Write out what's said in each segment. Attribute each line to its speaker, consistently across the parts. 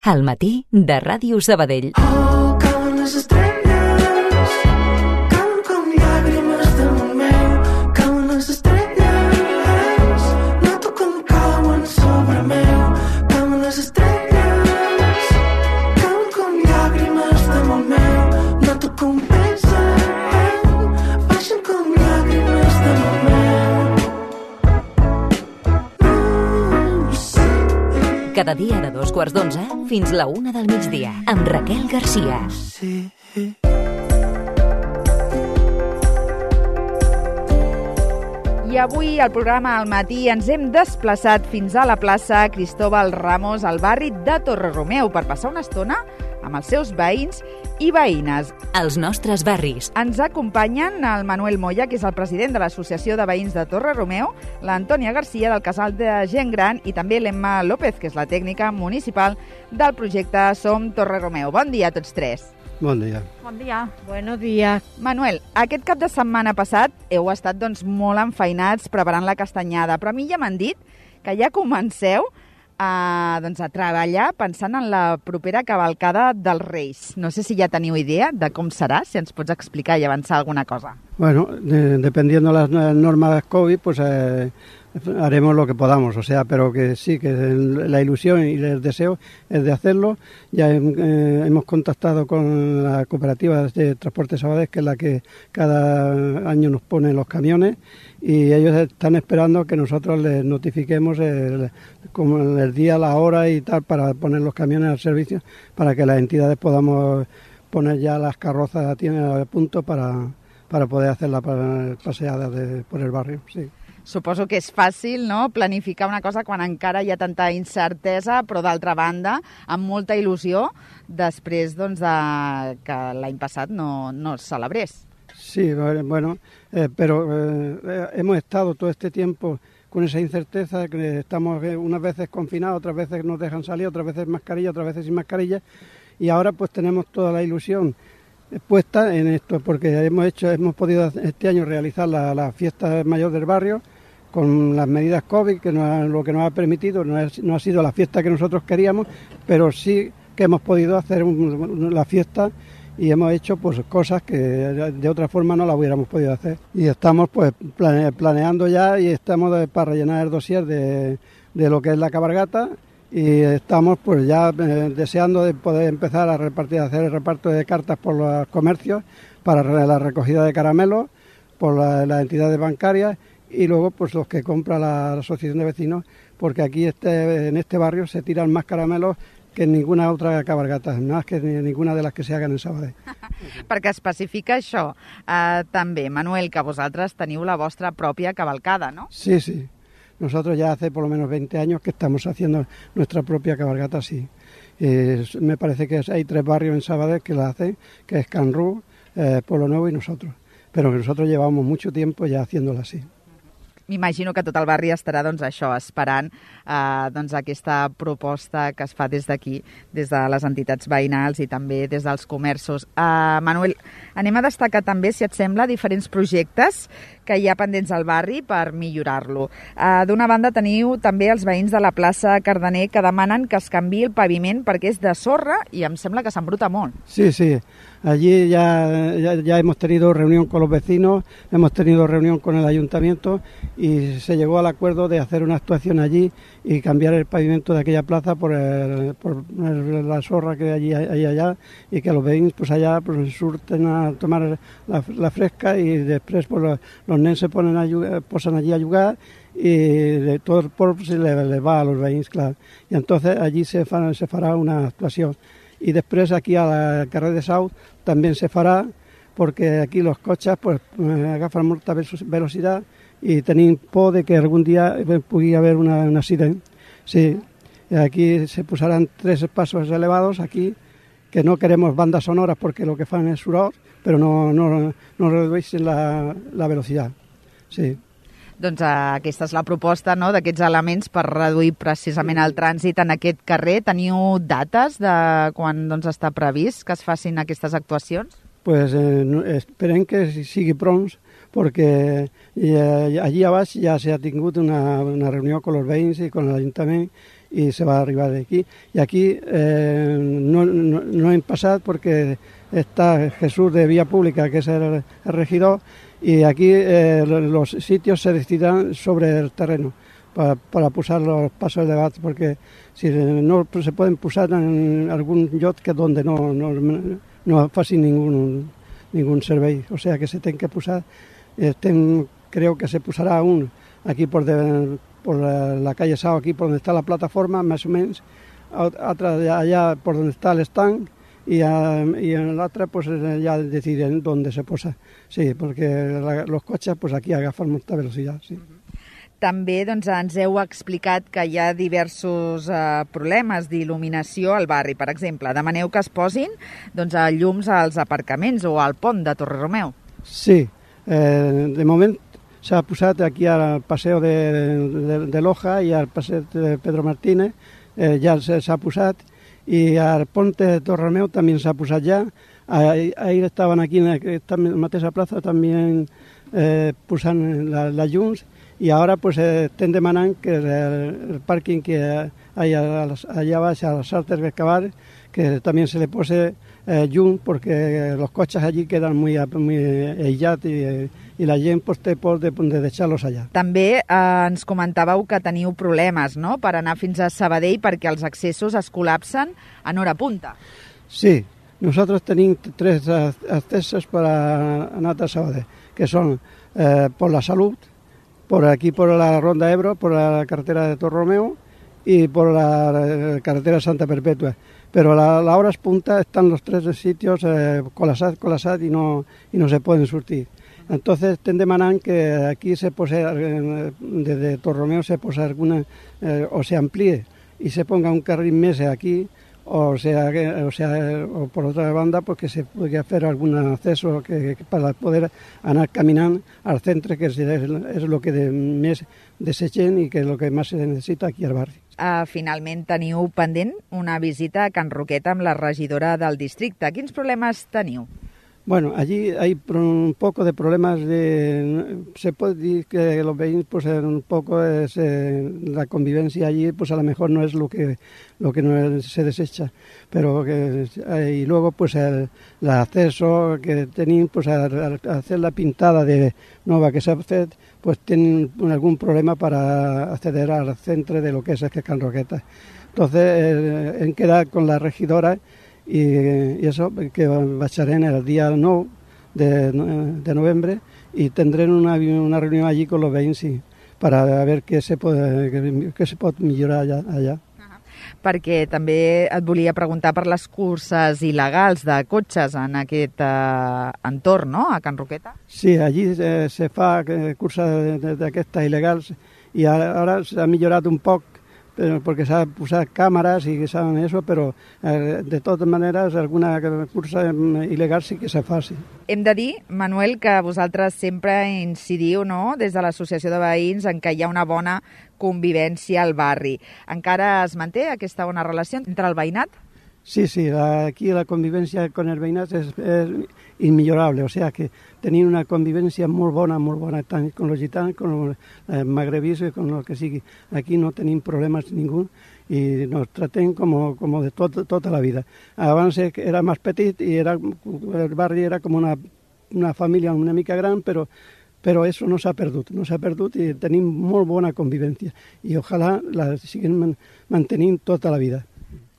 Speaker 1: Al matí de Ràdio Sabadell.
Speaker 2: Oh, cauen les estrelles, cauen com llàgrimes damunt meu, cauen les estrelles, noto com cauen sobre meu, cauen les estrelles, cauen com llàgrimes damunt meu, noto com pesen, baixen com llàgrimes damunt meu.
Speaker 1: Cada dia de 2:15 fins la 1 del migdia, amb Raquel Garcia.
Speaker 2: Sí.
Speaker 3: I avui al programa Al matí ens hem desplaçat fins a la plaça Cristóbal Ramos al barri de Torre-Romeu per passar una estona amb els seus veïns i veïnes.
Speaker 1: Els nostres barris.
Speaker 3: Ens acompanyen el Manuel Moya, que és el president de l'Associació de Veïns de Torre-Romeu, l'Antònia Garcia del Casal de Gent Gran i també l'Emma López, que és la tècnica municipal del projecte Som Torre-Romeu. Bon dia a tots tres.
Speaker 4: Bon dia.
Speaker 3: Bon dia.
Speaker 5: Buenos días.
Speaker 3: Manuel, aquest cap de setmana passat heu estat molt enfeinats preparant la castanyada, però a mi ja m'han dit que ja comenceu a treballar pensant en la propera cavalcada dels Reis. No sé si ja teniu idea de com serà, si ens pots explicar i avançar alguna cosa.
Speaker 4: Bueno, dependiendo de las normas COVID, pues haremos lo que podamos, o sea, pero que sí, que la ilusión y el deseo es de hacerlo. Ya hemos contactado con la cooperativa de Transporte Sabadell, que es la que cada año nos pone los camiones, y ellos están esperando que nosotros les notifiquemos como el día, la hora y tal para poner los camiones al servicio, para que las entidades podamos poner ya las carrozas a punto para poder hacer la paseada por el barrio, sí.
Speaker 3: Suposo que és fàcil, no?, planificar una cosa quan encara hi ha tanta incertesa, però d'altra banda, amb molta il·lusió, després de que l'any passat no es celebrés.
Speaker 4: Sí, bueno, pero hemos estado todo este tiempo con esa incerteza, que estamos unas veces confinados, otras veces nos dejan salir, otras veces mascarilla, otras veces sin mascarilla, y ahora pues tenemos toda la ilusión puesta en esto, porque hemos podido este año realizar la fiesta mayor del barrio con las medidas COVID, que lo que nos ha permitido, no ha sido la fiesta que nosotros queríamos, pero sí que hemos podido hacer la fiesta y hemos hecho pues cosas que de otra forma no la hubiéramos podido hacer. Y estamos pues planeando ya y estamos para rellenar el dossier de lo que es la cabalgata. Y estamos pues ya deseando de poder empezar a hacer el reparto de cartas por los comercios para la recogida de caramelos por las entidades bancarias y luego pues los que compra la asociación de vecinos, porque aquí en este barrio se tiran más caramelos que en ninguna otra cabalgata, más que ninguna de las que se hagan en Sabadell.
Speaker 3: Perquè especifica això també, Manuel, que vosaltres teniu la vostra pròpia cavalcada, no?
Speaker 4: Sí, sí. Nosotros ya hace por lo menos 20 años que estamos haciendo nuestra propia cabalgata, sí. Me parece que hay 3 barrios en Sabadell que la hacen, que es Can Rú, Pueblo Nuevo y nosotros. Pero que nosotros llevamos mucho tiempo ya haciéndola así.
Speaker 3: M'imagino que tot el barri estarà esperant aquesta proposta que es fa des d'aquí, des de les entitats veïnals i també des dels comerços. Manuel, anem a destacar també, si et sembla, diferents projectes que hi ha pendents al barri per millorar-lo. D'una banda teniu també els veïns de la plaça Cardener que demanen que es canviï el paviment perquè és de sorra i em sembla que s'embruta molt.
Speaker 4: Sí, sí. Allí ya hemos tenido reunión con los vecinos, hemos tenido reunión con el ayuntamiento y se llegó al acuerdo de hacer una actuación allí y cambiar el pavimento de aquella plaza por la sorra que hay allá y que los vecinos pues allá pues surten a tomar la fresca y después pues, los nenes se posan allí a jugar y de todo el polvo se les va a los vecinos, claro. Y entonces allí se fará una actuación. Y després aquí al carrer de Sau també se farà, perquè aquí los cotxes pues, agafen molta velocitat i tenim por de que algun dia pugui haver un accident. Sí, aquí se posaran 3 pasos elevados aquí, que no queremos bandas sonoras porque lo que fan es soroll, però no redueixen la velocitat. Sí.
Speaker 3: Doncs aquesta és la proposta, no?, d'aquests elements per reduir precisament el trànsit en aquest carrer. Teniu dates de quan està previst que es facin aquestes actuacions?
Speaker 4: Pues esperem que sigui pronts, perquè allí a baix ja s'ha tingut una reunió con los veïns i con l'Ajuntament y se va a arribar de aquí. Y aquí no hem passat perquè está Jesús de Vía Pública, que es el regidor, y aquí los sitios se decidirán sobre el terreno para posar los pasos de gat, porque si no se pueden posar en algún lloc que donde no faci ningún servei, o sea que se tiene que posar. Creo que se posará aquí por la calle Sao, aquí por donde está la plataforma, más o menos, allá por donde está el stand, y en la otra pues ya deciden dónde se posa. Sí, porque los cotxes pues aquí agafen molta velocitat, sí.
Speaker 3: També doncs, ens heu explicat que hi ha diversos problemes d'il·luminació al barri. Per exemple, demaneu que es posin llums als aparcaments o al pont de Torreromeu.
Speaker 4: Sí, de moment s'ha posat aquí al paseo de Loja i al paseo de Pedro Martínez, ja s'ha posat, i al pont de Torreromeu també s'ha posat ja. Ahir estaven aquí en aquesta mateixa plaça també posant les llums, y ahora pues estén demanant que el parking que hay allá baix a las Artes de Cabar, que también se le pose llum, porque los coches allí quedan muy aïllats i la gent pues, té por de deixar-los allà.
Speaker 3: També ens comentàveu que teniu problemes, no?, per anar fins a Sabadell perquè els accessos es col·lapsen en hora punta.
Speaker 4: Sí, nosotros tenim 3 accesos para anar a Sabadell, que son por la Salud, por aquí por la Ronda Ebro, por la carretera de Torreromeu y por la carretera Santa Perpetua. Pero a la hora punta están los 3 sitios colapsados y no se pueden surtir. Entonces estem demanant que aquí se pose, desde Torreromeu se pose alguna, o se amplíe y se ponga un carril més aquí, o por otra banda pues que se pueda hacer algún acceso para poder anar caminant al centre, que es lo que més desitgen i que és el que més se necessita aquí al barri.
Speaker 3: Finalment teniu pendent una visita a Can Roqueta amb la regidora del districte. Quins problemes teniu?
Speaker 4: Bueno, allí hay un poco de problemas se puede decir que los veïns pues un poco es la convivencia allí, pues a lo mejor no es lo que no se desecha, pero y luego pues el acceso que tenían pues al hacer la pintada de nueva que se hace, pues tienen algún problema para acceder al centro de lo que es Can Roqueta. Entonces en quedar con la regidora y eso, que baixarem el día 9 de noviembre y tendrem una reunión allí con los veïns para ver què se pot millorar allà.
Speaker 3: Perquè també et volia preguntar per les curses il·legals de cotxes en aquest entorn, no?, a Can Roqueta.
Speaker 4: Sí, allí se fa curses d'aquestes il·legals i ara s'ha millorat un poc, porque se han puesto cámaras y saben eso, pero de todas maneras alguna cursa il·legal sí que se fa, sí.
Speaker 3: Hem de dir, Manuel, que vosaltres sempre incidiu, no?, des de l'Associació de Veïns, en que hi ha una bona convivència al barri. Encara es manté aquesta bona relació entre el veïnat?
Speaker 4: Sí, aquí la convivencia con el veïnat es inmillorable, o sea que tenim una convivencia molt bona, tant con los gitanos, con los magrebis y con lo que sigui. Aquí no tenim problemes ningú i nos traten como de tota la vida. Abans era més petit i el barri era com una família una mica gran, però eso no s'ha perdut i tenim molt bona convivència i ojalà la siguin mantenint tota la vida.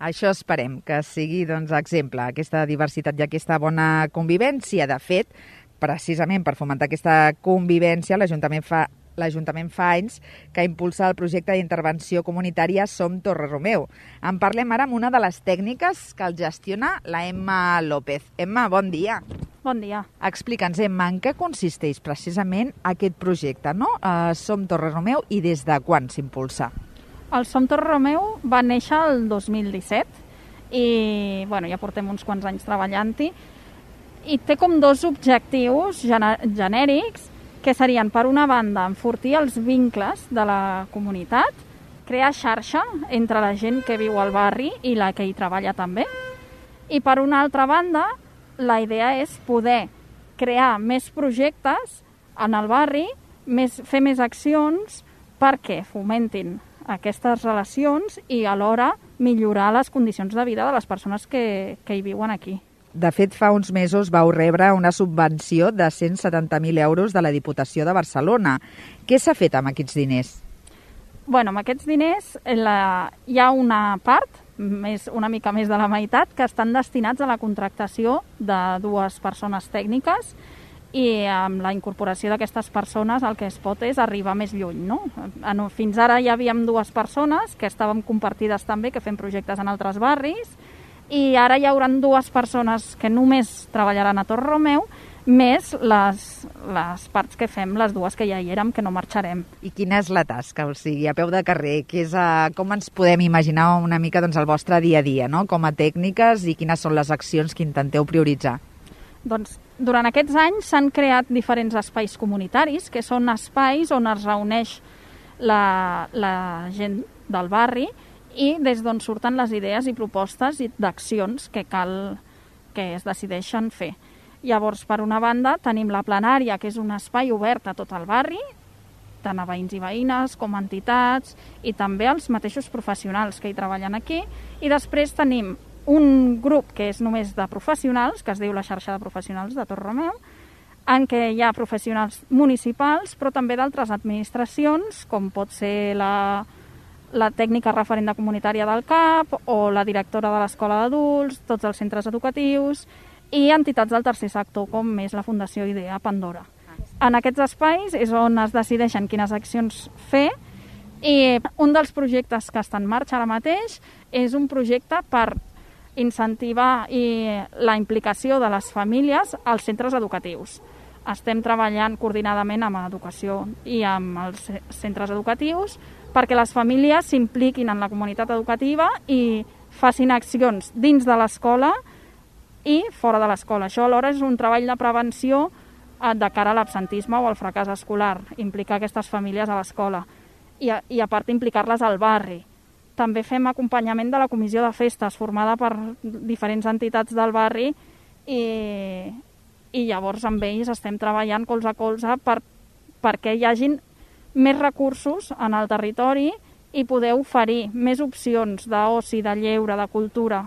Speaker 3: Això esperem, que sigui exemple, aquesta diversitat i aquesta bona convivència. De fet, precisament per fomentar aquesta convivència, l'Ajuntament fa anys que impulsa el projecte d'intervenció comunitària Som Torreromeu. En parlem ara amb una de les tècniques que el gestiona, la Emma López. Emma, bon dia.
Speaker 5: Bon dia.
Speaker 3: Explica'ns, Emma, en què consisteix precisament aquest projecte, no? Som Torreromeu, i des de quan s'impulsa?
Speaker 5: El Som Torreromeu va néixer el 2017 i ja portem uns quants anys treballant-hi i té com 2 objectius genèrics, que serien, per una banda, enfortir els vincles de la comunitat, crear xarxa entre la gent que viu al barri i la que hi treballa també, i per una altra banda, la idea és poder crear més projectes en el barri, fer més accions perquè fomentin aquestes relacions i alhora millorar les condicions de vida de les persones que hi viuen aquí.
Speaker 3: De fet, fa uns mesos vau rebre una subvenció de 170.000 euros de la Diputació de Barcelona. Què s'ha fet amb aquests diners?
Speaker 5: Bueno, amb aquests diners hi ha una part, una mica més de la meitat, que estan destinats a la contractació de 2 persones tècniques i amb la incorporació d'aquestes persones el que es pot és arribar més lluny, no? Fins ara ja havíem 2 persones que estàvem compartides també, que fem projectes en altres barris, i ara hi haurà 2 persones que només treballaran a Torre Romeu, més les parts que fem, les 2 que ja hi érem, que no marxarem.
Speaker 3: I quina és la tasca? O sigui, a peu de carrer, com ens podem imaginar una mica el vostre dia a dia, no? Com a tècniques, i quines són les accions que intenteu prioritzar?
Speaker 5: Doncs durant aquests anys s'han creat diferents espais comunitaris, que són espais on es reuneix la gent del barri i des d'on surten les idees i propostes d'accions que cal que es decideixen fer. Llavors, per una banda, tenim la plenària, que és un espai obert a tot el barri, tant a veïns i veïnes com a entitats i també als mateixos professionals que hi treballen aquí. I després tenim un grup que és només de professionals, que es diu la xarxa de professionals de Torre Romeu, en què hi ha professionals municipals, però també d'altres administracions, com pot ser la tècnica referent comunitària del CAP o la directora de l'escola d'adults, tots els centres educatius i entitats del tercer sector, com és la Fundació Idea Pandora. En aquests espais és on es decideixen quines accions fer, i un dels projectes que està en marxa ara mateix és un projecte per incentivar la implicació de les famílies als centres educatius. Estem treballant coordinadament amb Educació i amb els centres educatius perquè les famílies s'impliquin en la comunitat educativa i facin accions dins de l'escola i fora de l'escola. Això alhora és un treball de prevenció de cara a l'absentisme o al fracàs escolar, implicar aquestes famílies a l'escola i a part implicar-les al barri. També fem acompanyament de la comissió de festes formada per diferents entitats del barri i llavors amb ells estem treballant colze a colze perquè hi hagin més recursos en el territori i poder oferir més opcions d'oci, de lleure, de cultura,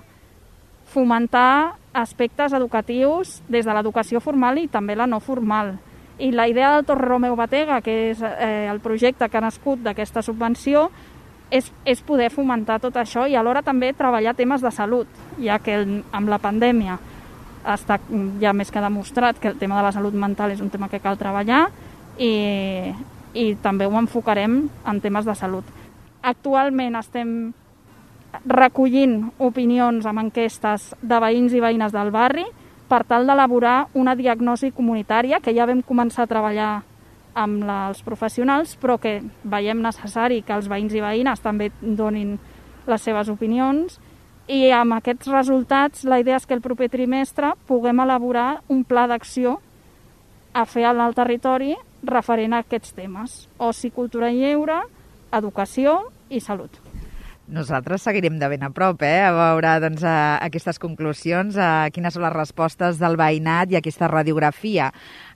Speaker 5: fomentar aspectes educatius des de l'educació formal i també la no formal. I la idea del Torre Romeu Batega, que és el projecte que ha nascut d'aquesta subvenció, és poder fomentar tot això i alhora també treballar temes de salut, ja que amb la pandèmia està ja més que demostrat que el tema de la salut mental és un tema que cal treballar i també ho enfocarem en temes de salut. Actualment estem recollint opinions amb enquestes de veïns i veïnes del barri per tal d'elaborar una diagnosi comunitària que ja vam començar a treballar amb els professionals, però que veiem necessari que els veïns i veïnes també donin les seves opinions, i amb aquests resultats la idea és que el proper trimestre puguem elaborar un pla d'acció a fer al territori referent a aquests temes: oci, cultura i lleure, educació i salut.
Speaker 3: Nosaltres seguirem de ben a prop, a veure aquestes conclusions, quines són les respostes del veïnat i aquesta radiografia.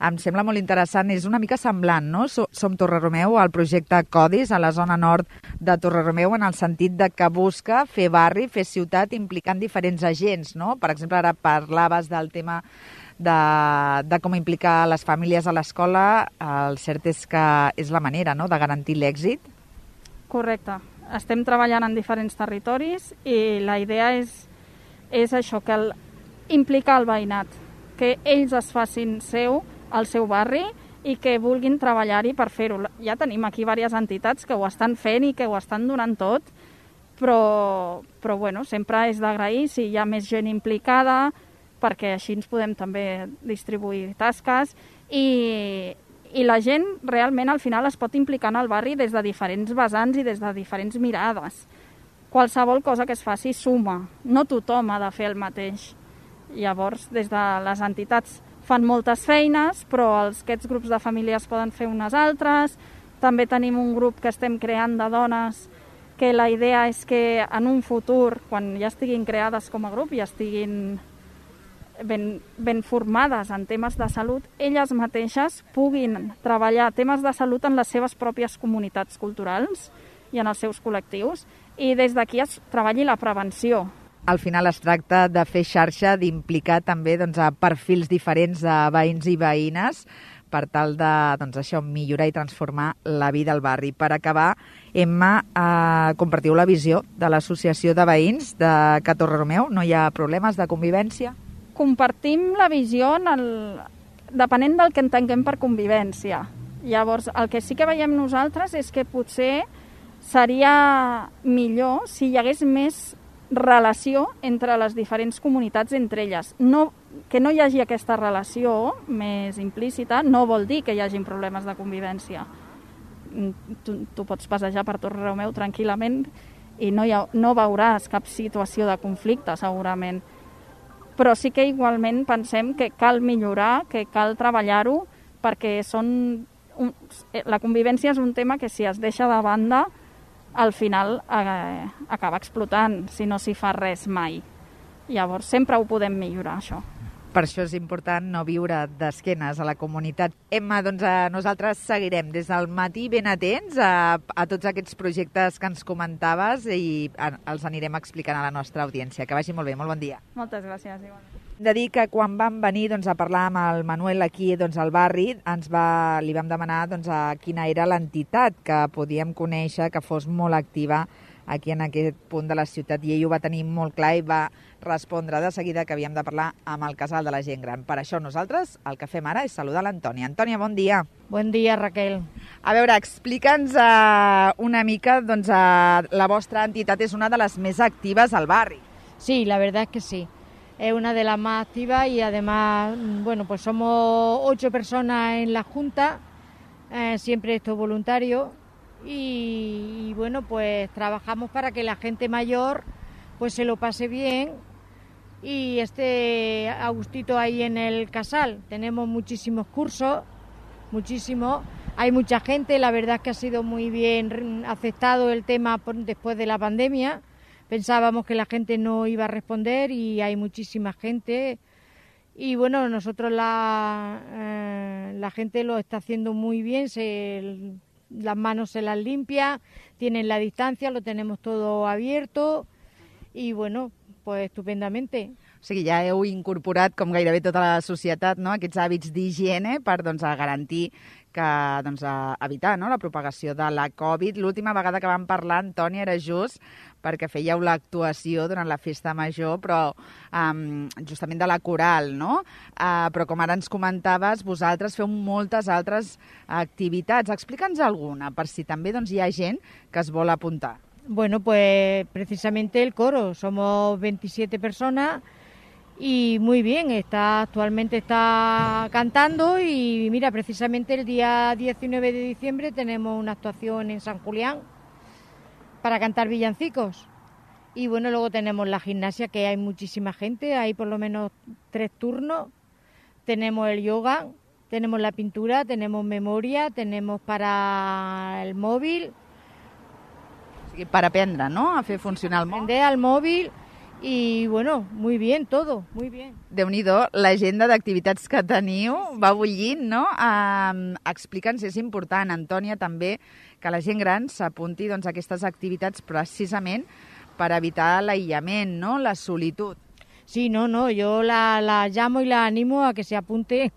Speaker 3: Em sembla molt interessant, és una mica semblant, no? Som Torre Romeu, el projecte Codis, a la zona nord de Torre Romeu, en el sentit de que busca fer barri, fer ciutat, implicant diferents agents, no? Per exemple, ara parlaves del tema de com implicar les famílies a l'escola. El cert és que és la manera, no?, de garantir l'èxit.
Speaker 5: Correcte. Estem treballant en diferents territoris i la idea és això, que implicar el veïnat, que ells es facin el seu barri i que vulguin treballar-hi per fer-ho. Ja tenim aquí diverses entitats que ho estan fent i que ho estan donant tot, però bueno, sempre és d'agrair si hi ha més gent implicada, perquè així ens podem també distribuir tasques i la gent realment al final es pot implicar en el barri des de diferents vessants i des de diferents mirades. Qualsevol cosa que es faci suma, no tothom ha de fer el mateix. Llavors, des de les entitats fan moltes feines, però aquests grups de famílies poden fer unes altres. També tenim un grup que estem creant de dones que la idea és que en un futur, quan ja estiguin creades com a grup i estiguin ben formades en temes de salut, elles mateixes puguin treballar temes de salut en les seves pròpies comunitats culturals i en els seus col·lectius, i des d'aquí es treballi la prevenció.
Speaker 3: Al final es tracta de fer xarxa, d'implicar també doncs, a perfils diferents de veïns i veïnes per tal de això, millorar i transformar la vida al barri. Per acabar, Emma, compartiu la visió de l'Associació de Veïns de Ca Torrelameu? No hi ha problemes de convivència?
Speaker 5: Compartim la visió depenent del que entenguem per convivència. Llavors, el que sí que veiem nosaltres és que potser seria millor si hi hagués més relació entre les diferents comunitats entre elles. Que no hi hagi aquesta relació més implícita no vol dir que hi hagin problemes de convivència. Tu pots passejar per Torrelameu tranquil·lament i no veuràs cap situació de conflicte, segurament. Però sí que igualment pensem que cal millorar, que cal treballar-ho, perquè la convivència és un tema que si es deixa de banda al final acaba explotant si no s'hi fa res mai. Llavors sempre ho podem millorar, això.
Speaker 3: Per això és important no viure d'esquenes a la comunitat. Emma, doncs nosaltres seguirem des del matí ben atents a tots aquests projectes que ens comentaves i els anirem explicant a la nostra audiència. Que vagi molt bé, molt bon dia.
Speaker 5: Moltes gràcies, igualment.
Speaker 3: De dir que quan vam venir a parlar amb el Manuel aquí al barri, li vam demanar quina era l'entitat que podíem conèixer que fos molt activa aquí en aquest punt de la ciutat, i ell ho va tenir molt clar i va respondre de seguida que havíem de parlar amb el casal de la gent gran. Per això nosaltres el que fem ara és saludar l'Antònia. Antònia, bon dia.
Speaker 6: Bon dia, Raquel.
Speaker 3: A veure, explica'ns una mica, la vostra entitat és una de les més actives al barri.
Speaker 6: Sí, la verdad es que sí. Es una de las más activas y además, bueno, pues somos 8 personas en la Junta, siempre esto voluntario, y bueno, pues trabajamos para que la gente mayor pues se lo pase bien y esté a gustito ahí en el casal. Tenemos muchísimos cursos, muchísimos. Hay mucha gente, la verdad es que ha sido muy bien aceptado el tema después de la pandemia. Pensábamos que la gente no iba a responder y hay muchísima gente. Y bueno, nosotros la gente lo está haciendo muy bien, las manos se las limpia, tienen la distancia, lo tenemos todo abierto y bueno, pues estupendamente.
Speaker 3: O sigui, ja heu incorporat, com gairebé tota la societat, no?, aquests hàbits d'higiene per garantir que evitar la propagació de la Covid. L'última vegada que vam parlar, Antònia, era just perquè fèieu l'actuació durant la festa major, però justament de la coral, no? Però com ara ens comentaves, vosaltres feu moltes altres activitats. Explica'ns alguna, per si també hi ha gent que es vol apuntar.
Speaker 6: Bueno, pues precisamente el coro. Somos 27 personas y muy bien, actualmente está cantando y mira, precisamente el día 19 de diciembre tenemos una actuación en San Julián para cantar villancicos. Y bueno, luego tenemos la gimnasia, que hay muchísima gente, hay por lo menos 3 turnos. Tenemos el yoga, tenemos la pintura, tenemos memoria, tenemos para el móvil.
Speaker 3: Per aprendre, no?, a fer funcionar el mòbil.
Speaker 6: Aprender al mòbil i, bueno, muy bien, todo, muy bien.
Speaker 3: Déu-n'hi-do, l'agenda d'activitats que teniu va bullint, no? Explica'ns, és important, Antònia, també, que la gent gran s'apunti a aquestes activitats precisament per evitar l'aïllament, no?, la solitud.
Speaker 6: Sí, no, yo la llamo y la animo a que se apunte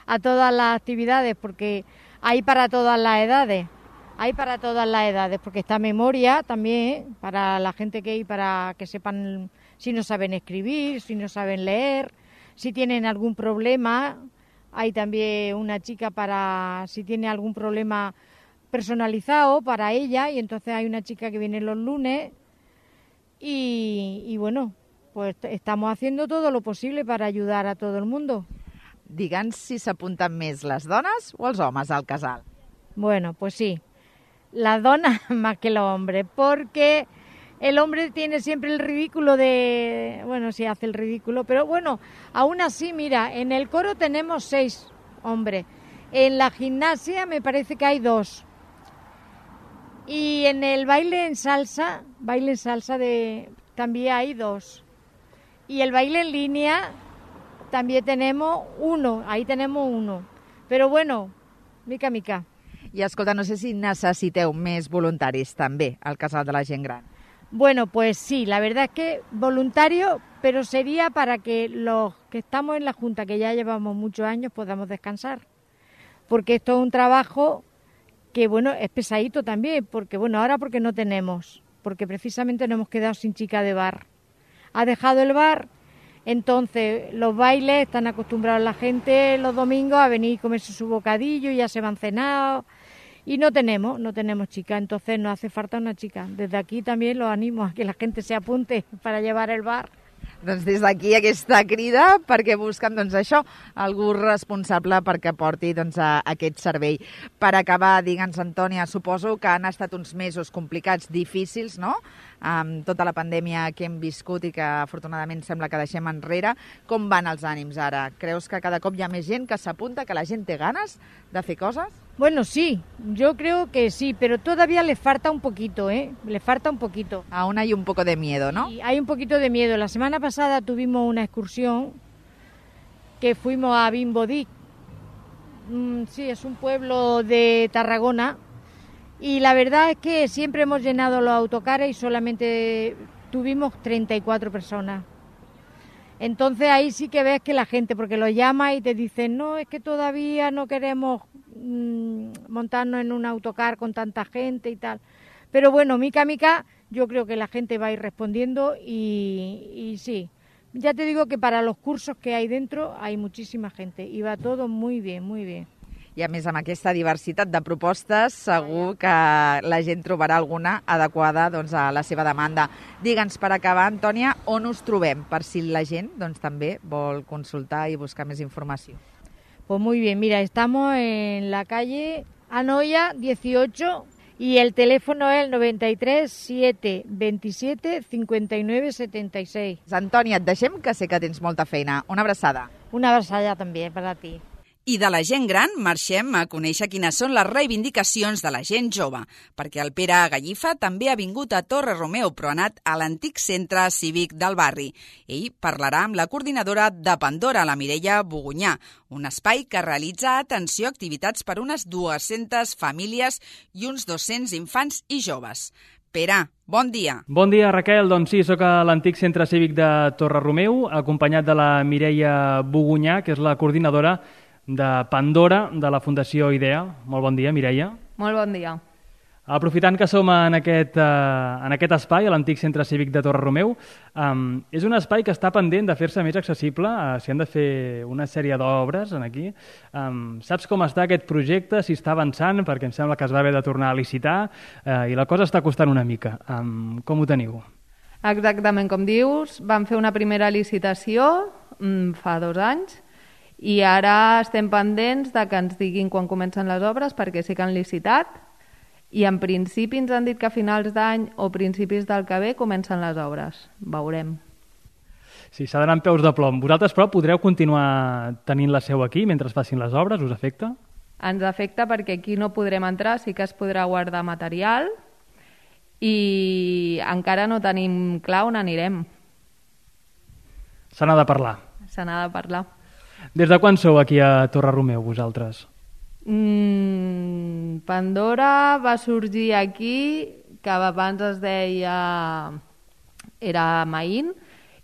Speaker 6: a todas las actividades, porque hay para todas las edades. Hay para todas las edades, porque está memoria también, para la gente que hay, para que sepan si no saben escribir, si no saben leer, si tienen algún problema. Hay también una chica para si tiene algún problema personalizado para ella, y entonces hay una chica que viene los lunes. Y bueno, pues estamos haciendo todo lo posible para ayudar a todo el mundo.
Speaker 3: Digue'ns si s'apunten més les dones o els homes al casal.
Speaker 6: Bueno, pues sí. Las donas más que los hombres, porque el hombre tiene siempre el ridículo de... Bueno, sí hace el ridículo, pero bueno, aún así, mira, en el coro tenemos 6 hombres. En la gimnasia me parece que hay 2. Y en el baile en salsa también hay 2. Y el baile en línea también tenemos 1, ahí tenemos 1. Pero bueno, mica.
Speaker 3: I escolta, no sé si necessiteu més voluntaris també al Casal de la Gent Gran.
Speaker 6: Bueno, pues sí, la verdad es que voluntario, pero sería para que los que estamos en la Junta, que ya llevamos muchos años, podamos descansar. Porque esto es un trabajo que, bueno, es pesadito también, porque, bueno, ahora porque no tenemos, porque precisamente nos hemos quedado sin chica de bar. Ha dejado el bar, entonces los bailes, están acostumbrados la gente los domingos a venir y comerse su bocadillo, ya se van cenados, y no tenemos chica, entonces nos hace falta una chica. Desde aquí también los animo a que la gente se apunte para llevar el bar.
Speaker 3: Doncs des d'aquí aquesta crida perquè busquen això, algú responsable perquè porti aquest servei. Per acabar, digue'ns, Antònia, suposo que han estat uns mesos complicats, difícils, no?, amb tota la pandèmia que hem viscut i que afortunadament sembla que deixem enrere. Com van els ànims ara? Creus que cada cop hi ha més gent que s'apunta, que la gent té ganes de fer coses?
Speaker 6: Bueno, sí, yo creo que sí, pero todavía le falta un poquito, le falta un poquito.
Speaker 3: Aún hay un poco de miedo, ¿no?
Speaker 6: Sí, hay un poquito de miedo. La semana pasada tuvimos una excursión que fuimos a Bimbodí. Sí, es un pueblo de Tarragona. Y la verdad es que siempre hemos llenado los autocares y solamente tuvimos 34 personas. Entonces ahí sí que ves que la gente, porque lo llama y te dicen, no, es que todavía no queremos montarnos en un autocar con tanta gente y tal. Pero bueno, mica, yo creo que la gente va a ir respondiendo y sí. Ya te digo que para los cursos que hay dentro hay muchísima gente y va todo muy bien, muy bien.
Speaker 3: I a més, amb aquesta diversitat de propostes, segur que la gent trobarà alguna adequada a la seva demanda. Digue'ns, per acabar, Antònia, on us trobem, per si la gent també vol consultar i buscar més informació.
Speaker 6: Pues muy bien, mira, estamos en la calle Anoia 18 y el teléfono es el 93 727 59 76.
Speaker 3: Antònia, et deixem, que sé que tens molta feina. Una abraçada.
Speaker 6: Una abraçada també per a ti.
Speaker 7: I de la gent gran marxem a conèixer quines són les reivindicacions de la gent jove, perquè el Pere Gallifa també ha vingut a Torre Romeu, però ha anat a l'antic centre cívic del barri. Ell parlarà amb la coordinadora de Pandora, la Mireia Bogunyà, un espai que realitza atenció a activitats per unes 200 famílies i uns 200 infants i joves. Pere, bon dia.
Speaker 8: Bon dia, Raquel. Doncs sí, sóc a l'antic centre cívic de Torre Romeu, acompanyat de la Mireia Bogunyà, que és la coordinadora de Pandora, de la Fundació IDEA. Molt bon dia, Mireia.
Speaker 9: Molt bon dia.
Speaker 8: Aprofitant que som en aquest espai, a l'antic centre cívic de Torre Romeu, és un espai que està pendent de fer-se més accessible, s'hi han de fer una sèrie d'obres aquí. Saps com està aquest projecte, si està avançant, perquè em sembla que es va haver de tornar a licitar i la cosa està costant una mica. Com ho teniu?
Speaker 9: Exactament com dius, vam fer una primera licitació fa 2 anys, i ara estem pendents de que ens diguin quan comencen les obres, perquè sí que han licitat, i en principi ens han dit que a finals d'any o principis del que ve comencen les obres. Veurem.
Speaker 8: Sí, s'ha d'anar amb peus de plom. Vosaltres, però, podreu continuar tenint la seu aquí mentre es facin les obres? Us afecta?
Speaker 9: Ens afecta perquè aquí no podrem entrar, sí que es podrà guardar material i encara no tenim clar on anirem.
Speaker 8: Se n'ha de parlar.
Speaker 9: Se n'ha de parlar.
Speaker 8: Des de quan sou aquí a Torre Romeu, vosaltres?
Speaker 9: Pandora va sorgir aquí, que abans es deia... era Maín,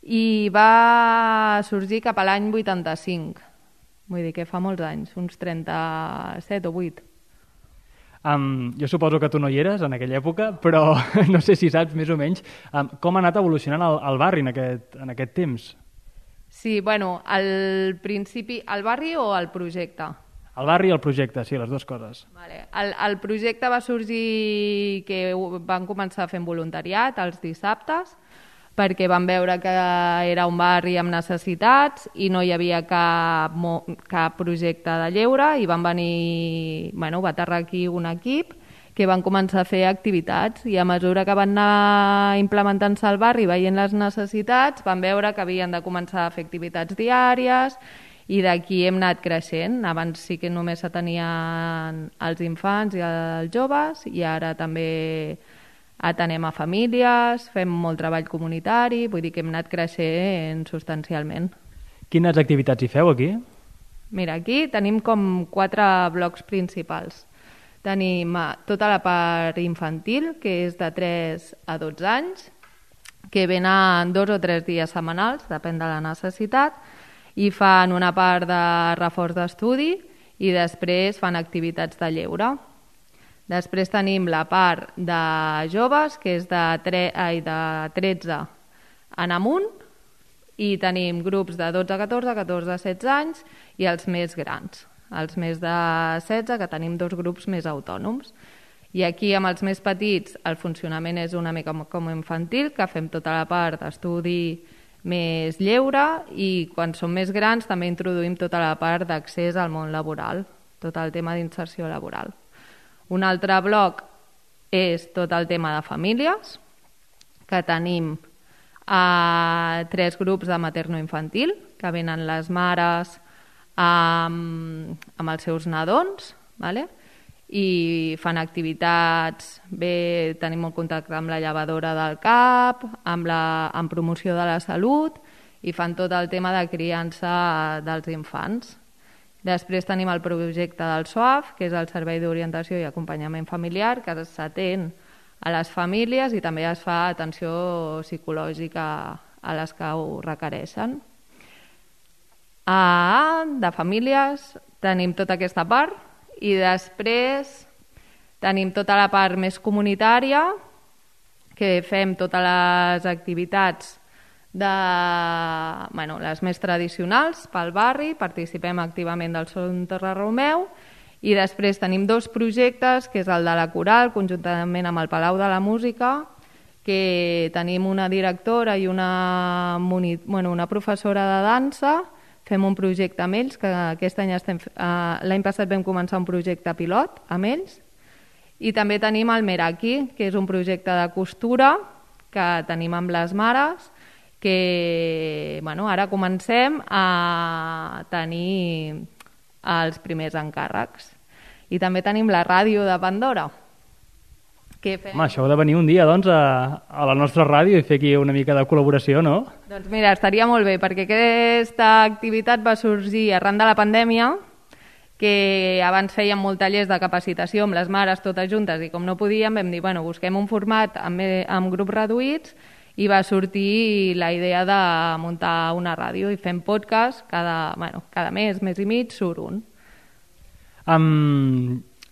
Speaker 9: i va sorgir cap a l'any 85. Vull dir que fa molts anys, uns 37 o 8.
Speaker 8: Jo suposo que tu no hi eres en aquella època, però no sé si saps més o menys com ha anat evolucionant el barri en aquest temps.
Speaker 9: Sí, bueno, al principi... El barri o el projecte?
Speaker 8: El barri i el projecte, sí, les dues coses.
Speaker 9: Vale. El projecte va sorgir que van començar fent voluntariat els dissabtes, perquè van veure que era un barri amb necessitats i no hi havia cap projecte de lleure i van venir... va aterrar aquí un equip que van començar a fer activitats i a mesura que van anar implementant-se al barri veient les necessitats van veure que havien de començar a fer activitats diàries i d'aquí hem anat creixent. Abans sí que només s'atenien els infants i els joves i ara també atenem a famílies, fem molt treball comunitari, vull dir que hem anat creixent substancialment.
Speaker 8: Quines activitats hi feu aquí?
Speaker 9: Mira, aquí tenim com 4 blocs principals. Tenim tota la part infantil, que és de 3 a 12 anys, que venen 2 o 3 dies setmanals, depèn de la necessitat, i fan una part de reforç d'estudi i després fan activitats de lleure. Després tenim la part de joves, que és de 13 en amunt, i tenim grups de 12 a 14, 14 a 16 anys i els més grans. Els més de 16, que tenim 2 grups més autònoms. I aquí, amb els més petits, el funcionament és una mica com infantil, que fem tota la part d'estudi més lleure, i quan som més grans també introduïm tota la part d'accés al món laboral, tot el tema d'inserció laboral. Un altre bloc és tot el tema de famílies, que tenim 3 grups de materno-infantil, que venen les mares amb els seus nadons, ¿vale? I fan activitats, tenim un contacte amb la llevadora del CAP, amb promoció de la salut, i fan tot el tema de criança dels infants. Després tenim el projecte del SOAF, que és el Servei d'Orientació i Acompanyament Familiar, que s'atén a les famílies i també es fa atenció psicològica a les que ho requereixen. De famílies tenim tota aquesta part, i després tenim tota la part més comunitària, que fem totes les activitats les més tradicionals pel barri, participem activament del Son Torre Romeu, i després tenim 2 projectes, que és el de la coral, conjuntament amb el Palau de la Música, que tenim una directora i una professora de dansa. Fem un projecte amb ells, que aquest any l'any passat vam començar un projecte pilot amb ells, i també tenim el Meraki, que és un projecte de costura que tenim amb les mares, que ara comencem a tenir els primers encàrrecs. I també tenim la ràdio de Pandora.
Speaker 8: Això heu de venir un dia, doncs, a la nostra ràdio i fer aquí una mica de col·laboració, no?
Speaker 9: Doncs mira, estaria molt bé, perquè aquesta activitat va sorgir arran de la pandèmia, que abans fèiem molt tallers de capacitació amb les mares totes juntes, i com no podíem vam dir, busquem un format amb grups reduïts, i va sortir la idea de muntar una ràdio i fem podcast cada mes i mig surt un.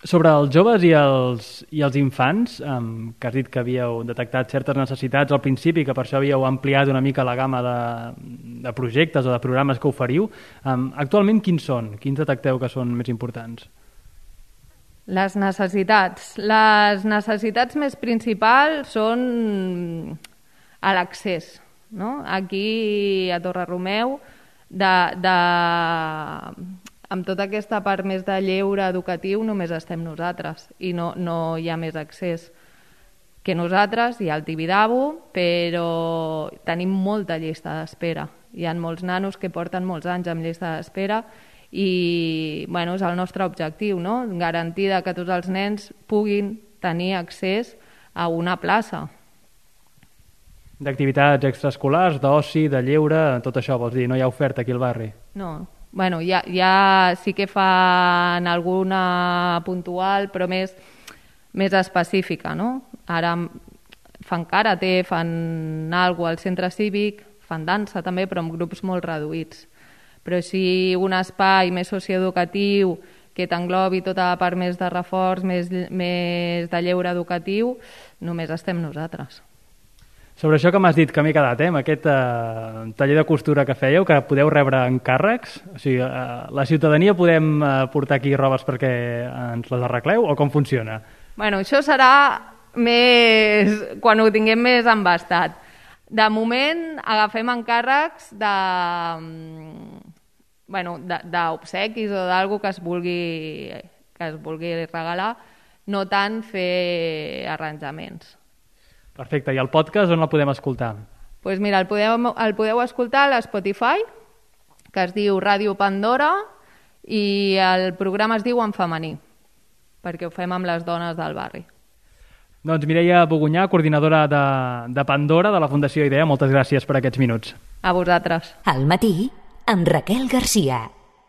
Speaker 8: Sobre els joves i els infants, que has dit que havíeu detectat certes necessitats al principi, que per això havíeu ampliat una mica la gamma de projectes o de programes que oferiu, actualment quins són? Quins detecteu que són més importants?
Speaker 9: Les necessitats. Les necessitats més principals són a l'accés, no? Aquí a Torre Romeu, amb tota aquesta part més de lleure educatiu només estem nosaltres i no hi ha més accés que nosaltres. Hi ha el Tibidabo, però tenim molta llista d'espera. Hi ha molts nanos que porten molts anys amb llista d'espera i és el nostre objectiu, no? Garantir que tots els nens puguin tenir accés a una plaça.
Speaker 8: D'activitats extraescolars, d'oci, de lleure, tot això vols dir? No hi ha oferta aquí al barri?
Speaker 9: No. Ja sí que fan alguna puntual, però més específica, no? Ara fan karate, fan alguna al centre cívic, fan dansa també, però amb grups molt reduïts. Però si un espai més socioeducatiu que t'englobi tota la part més de reforç, més de lleure educatiu, només estem nosaltres.
Speaker 8: Sobre això que m'has dit, que m'he quedat, amb aquest taller de costura que fèieu, que podeu rebre encàrrecs, o sigui, la ciutadania podem portar aquí robes perquè ens les arregleu, o com funciona?
Speaker 9: Això serà més quan ho tinguem més embastat. De moment agafem encàrrecs d'obsequis o d'algú que es vulgui regalar, no tant fer arranjaments.
Speaker 8: Perfecte, i el podcast on el podem escoltar?
Speaker 9: Doncs mira, el podeu escoltar a l'Spotify, que es diu Ràdio Pandora, i el programa es diu En femení, perquè ho fem amb les dones del barri.
Speaker 8: Doncs Mireia Bogunyà, coordinadora de Pandora, de la Fundació IDEA, moltes gràcies per aquests minuts.
Speaker 9: A vosaltres.
Speaker 1: Al matí, amb Raquel Garcia.